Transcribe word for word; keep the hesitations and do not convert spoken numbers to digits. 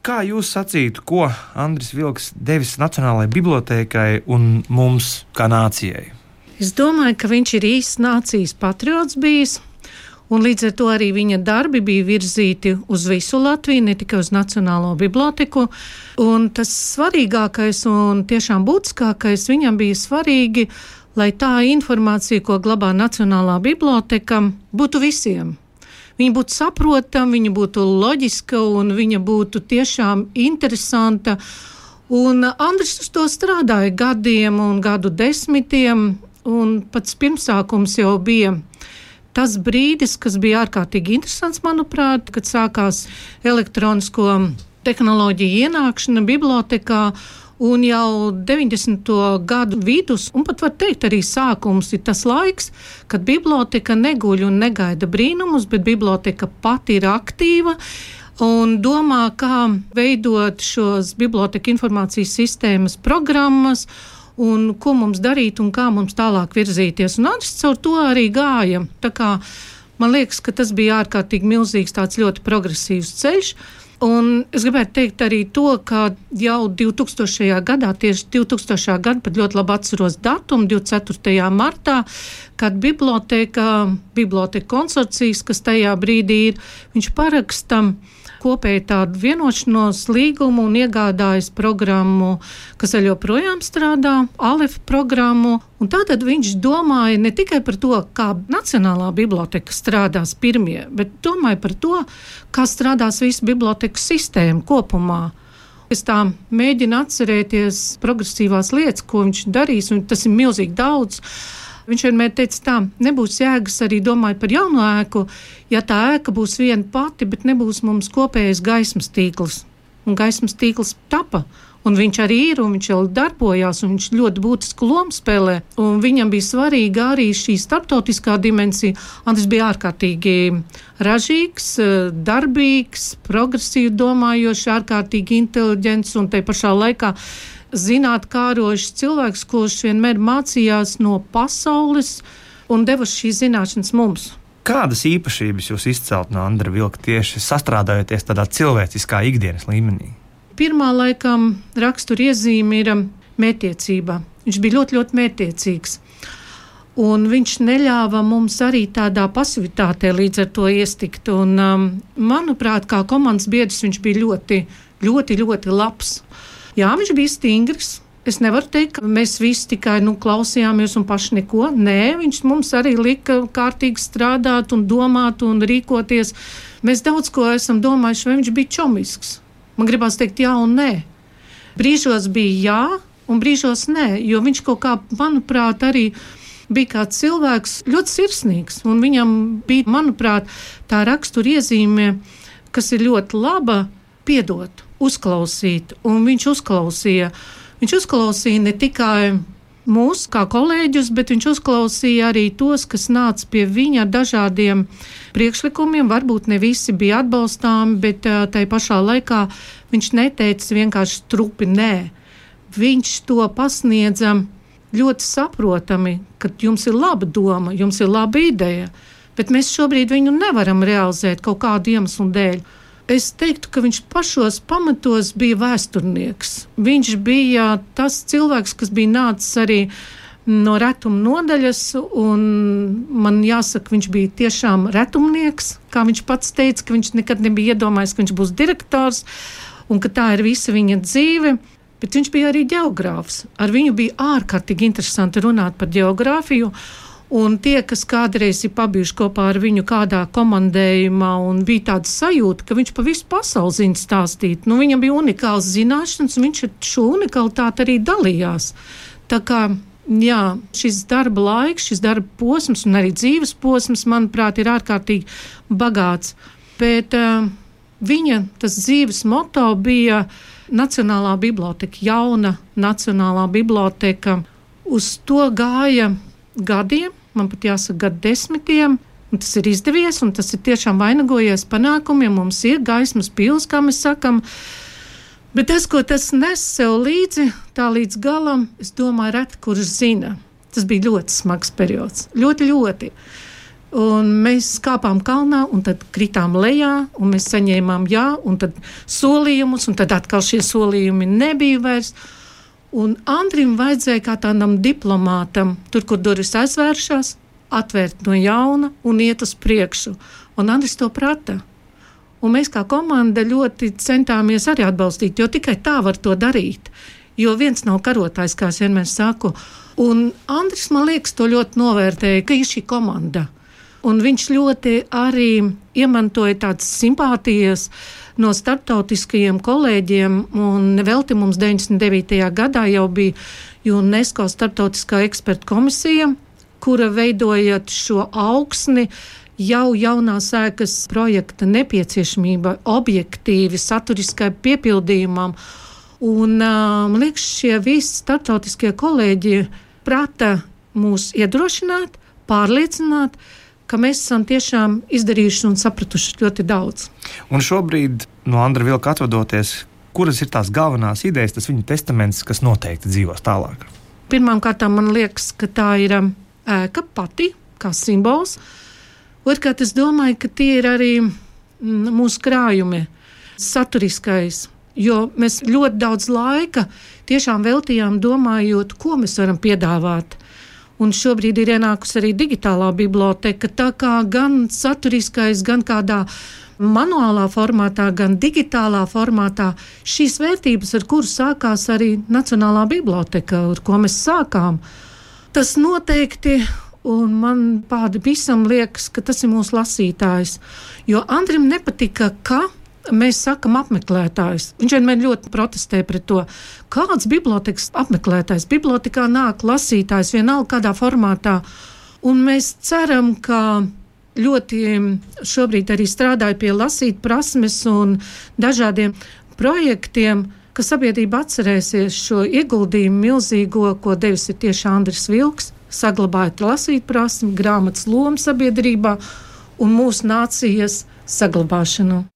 Kā jūs sacītu, ko Andris Vilks devis Nacionālajai bibliotēkai un mums kā nācijai? Es domāju, ka viņš ir īsts nācijas patriots bijis, un līdz ar to arī viņa darbi bija virzīti uz visu Latviju, ne tikai uz Nacionālo biblioteku. Un tas svarīgākais un tiešām būtiskākais viņam bija svarīgi, lai tā informācija, ko glabā Nacionālā biblioteka, būtu visiem. Viņa būtu saprotama, viņa būtu loģiska un viņa būtu tiešām interesanta. Un Andris uz to strādāja gadiem un gadu desmitiem, un pats pirmsākums jau bija tas brīdis, kas bija ārkārtīgi interesants, manuprāt, kad sākās elektronisko tehnoloģiju ienākšana bibliotekā, un jau deviņdesmito gadu vidus, un pat var teikt arī sākums, ir tas laiks, kad biblioteka neguļ un negaida brīnumus, bet biblioteka pati ir aktīva un domā, kā veidot šos biblioteka informācijas sistēmas programmas, un ko mums darīt un kā mums tālāk virzīties. Un Andris caur to arī gāja. Tā kā man liekas, ka tas bija ārkārtīgi milzīgs, tāds ļoti progresīvs ceļš. Un es gribētu teikt arī to, ka jau divtūkstošajā gadā, tieši divtūkstošajā gadā, pat ļoti labi atceros datumu, divdesmit ceturtajā martā, kad biblioteka, biblioteka konsorcijas, kas tajā brīdī ir, viņš paraksta kopēji tādu vienošanos līgumu un iegādājas programmu, kas vēl joprojām strādā, Alef programmu. Un tātad viņš domāja ne tikai par to, kā Nacionālā biblioteka strādās pirmie, bet domāja par to, kā strādās visa bibliotekas sistēma kopumā. Es tā mēģinu atcerēties progresīvās lietas, ko viņš darīs, un tas ir milzīgi daudz. Viņš vienmēr teica tā, nebūs jēgas arī domāt par jaunu ēku, ja tā ēka būs viena pati, bet nebūs mums kopējais gaismas tīkls. Un gaismas tīkls tapa, un viņš arī ir, un viņš jau darbojās, un viņš ļoti būtisku lomu spēlē. Un viņam bija svarīga arī šī starptautiskā dimensija. Andris bija ārkārtīgi ražīgs, darbīgs, progresīvi domājošs, ārkārtīgi inteliģents un tai pašā laikā zinātkārošs cilvēks, kurš vienmēr mācījās no pasaules un deva šīs zināšanas mums. Kādas īpašības jūs izcelt no Andra Vilka tieši sastrādājoties tādā cilvēciskā ikdienas līmenī? Pirmā laikam rakstura iezīme ir mērķtiecība. Viņš bija ļoti, ļoti mērķtiecīgs. Un viņš neļāva mums arī tādā pasivitātē līdz ar to iestikt. Un, um, manuprāt, kā komandas biedrs viņš bija ļoti, ļoti, ļoti labs. Jā, viņš bija stingrs. Es nevaru teikt, ka mēs visi tikai nu, klausījāmies un paši neko. Nē, viņš mums arī lika kārtīgi strādāt un domāt un rīkoties. Mēs daudz ko esam domājuši, vai viņš bija čomisks. Man gribās teikt jā un nē. Brīžos bija jā un brīžos nē, jo viņš kaut kā, manuprāt, arī bija kā cilvēks ļoti sirsnīgs. Un viņam bija, manuprāt, tā rakstura iezīme, kas ir ļoti laba, piedot, uzklausīt. Un viņš uzklausīja. Viņš uzklausīja ne tikai mūs kā kolēģus, bet viņš uzklausīja arī tos, kas nāca pie viņa ar dažādiem priekšlikumiem. Varbūt ne visi bija atbalstāmi, bet tai pašā laikā viņš neteica vienkārši strupi nē. Viņš to pasniedza ļoti saprotami, ka jums ir laba doma, jums ir laba ideja, bet mēs šobrīd viņu nevaram realizēt kaut kādu iemeslu dēļ. Es teiktu, ka viņš pašos pamatos bija vēsturnieks. Viņš bija tas cilvēks, kas bija nācis arī no retuma nodaļas, un man jāsaka, viņš bija tiešām retumnieks, kā viņš pats teica, ka viņš nekad nebija iedomājies, ka viņš būs direktors, un ka tā ir visa viņa dzīve. Bet viņš bija arī ģeogrāfs. Ar viņu bija ārkārtīgi interesanti runāt par ģeogrāfiju. Un tie, kas kādreiz ir pabijuši kopā ar viņu kādā komandējumā, un bija tāda sajūta, ka viņš pa visu pasauli zina stāstīt. Nu, viņam bija unikāls zināšanas, un viņš ar šo unikalitāti arī dalījās. Tā kā, jā, šis darba laiks, šis darba posms un arī dzīves posms, manuprāt, ir ārkārtīgi bagāts. Bet uh, viņa tas dzīves moto bija Nacionālā biblioteka, jauna Nacionālā biblioteka. Uz to gāja gadiem, man pat jāsaka gadu desmitiem, un tas ir izdevies, un tas ir tiešām vainagojies panākumiem, mums ir gaismas pils, kā mēs sakam, bet tas, ko tas nes sev līdzi, tā līdz galam, es domāju, reti, kurš zina. Tas bija ļoti smags periods, ļoti, ļoti. Un mēs kāpām kalnā, un tad kritām lejā, un mēs saņēmām jā, un tad solījumus, un tad atkal šie solījumi nebija vairs. Un Andrim vajadzēja kā tādam diplomātam, tur, kur durvis aizvēršās, atvērt no jauna un iet uz priekšu. Un Andris to prata. Un mēs kā komanda ļoti centāmies arī atbalstīt, jo tikai tā var to darīt. Jo viens nav karotājs, kā es vienmēr saku. Un Andris, man liekas, to ļoti novērtēja, ka ir šī komanda. Un viņš ļoti arī iemantoja tādas simpātijas no starptautiskajiem kolēģiem, un nevelti mums deviņdesmit devītajā gadā jau bija UNESCO starptautiskā eksperta komisija, kura veidojot šo augsni, jau jaunās ēkas projekta nepieciešamība objektīvi saturiskai piepildījumam. Un, man liekas, šie visi starptautiskie kolēģi prata mūs iedrošināt, pārliecināt, ka mēs esam tiešām izdarījuši un sapratuši ļoti daudz. Un šobrīd no Andra Vilka atvadoties, kuras ir tās galvenās idejas, tas viņa testaments, kas noteikti dzīvos tālāk? Pirmkārt, man liekas, ka tā ir ēka pati, kā simbols. Otrkārt, es domāju, ka tie ir arī mūsu krājumi, saturiskais, jo mēs ļoti daudz laika tiešām veltījām domājot, ko mēs varam piedāvāt. Un šobrīd ir ienākusi arī digitālā biblioteka, tā kā gan saturiskais, gan kādā manuālā formātā, gan digitālā formātā šīs vērtības, ar kuru sākās arī Nacionālā biblioteka, ar ko mēs sākām. Tas noteikti, un man pāri visam liekas, ka tas ir mūsu lasītājs, jo Andrim nepatika, ka mēs sakam apmeklētājs. Viņš vienmēr ļoti protestē pret to. Kāds bibliotekas apmeklētājs? Bibliotekā nāk lasītājs vienalga kādā formātā. Un mēs ceram, ka ļoti šobrīd arī strādāja pie lasīt prasmes un dažādiem projektiem, ka sabiedrība atcerēsies šo ieguldījumu milzīgo, ko devis ir tieši Andris Vilks, saglabājot lasīt prasmi, grāmatas lomu sabiedrībā un mūsu nācijas saglabāšanu.